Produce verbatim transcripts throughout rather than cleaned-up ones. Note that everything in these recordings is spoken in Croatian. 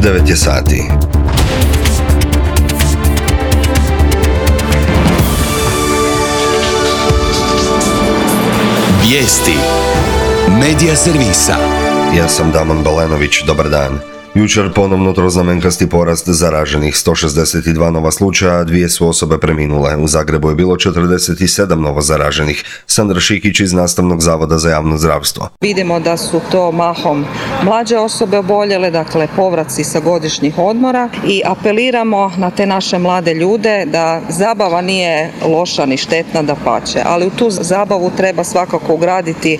devet je sati. Vijesti Medija servisa. Ja sam Damon Balenović, dobar dan. Jučer ponovno troznamenkasti porast zaraženih, sto šezdeset dva nova slučaja, dvije su osobe preminule. U Zagrebu je bilo četrdeset sedam novo zaraženih. Sandra Šikić iz Nastavnog zavoda za javno zdravstvo. Vidimo da su to mahom mlađe osobe oboljele, dakle povraci sa godišnjih odmora, i apeliramo na te naše mlade ljude da zabava nije loša ni štetna, dapače, ali u tu zabavu treba svakako ugraditi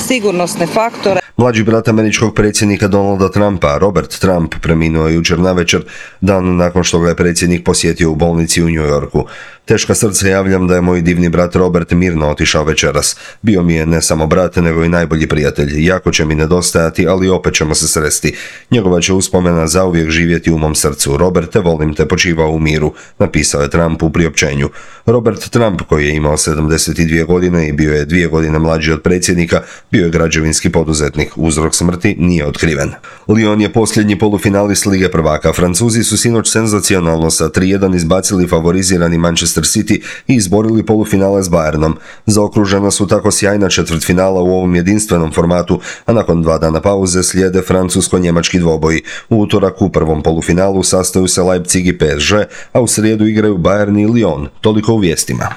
sigurnosne faktore. Mlađi brat američkog predsjednika Donalda Trumpa, Robert Trump, preminuo je jučer navečer, dan nakon što ga je predsjednik posjetio u bolnici u New Yorku. Teška srce javljam da je moj divni brat Robert mirno otišao večeras. Bio mi je ne samo brat, nego i najbolji prijatelj. Jako će mi nedostajati, ali opet ćemo se sresti. Njegova će uspomena zauvijek živjeti u mom srcu. Roberte, volim te, počivao u miru, napisao je Trump u priopćenju. Robert Trump, koji je imao sedamdeset dvije godine i bio je dvije godine mlađi od predsjednika, bio je građevinski poduzetnik. Uzrok smrti nije otkriven. Lyon je posljednji polufinalist Lige prvaka. Francuzi su sinoć senzacionalno sa tri jedan izbacili favorizirani Manchester City i izborili polufinale s Bayernom. Zaokružena su tako sjajna četvrtfinala u ovom jedinstvenom formatu, a nakon dva dana pauze slijede francusko-njemački dvoboji. U utorak u prvom polufinalu sastaju se Leipzig i P S G, a u srijedu igraju Bayern i Lyon. Toliko u vijestima.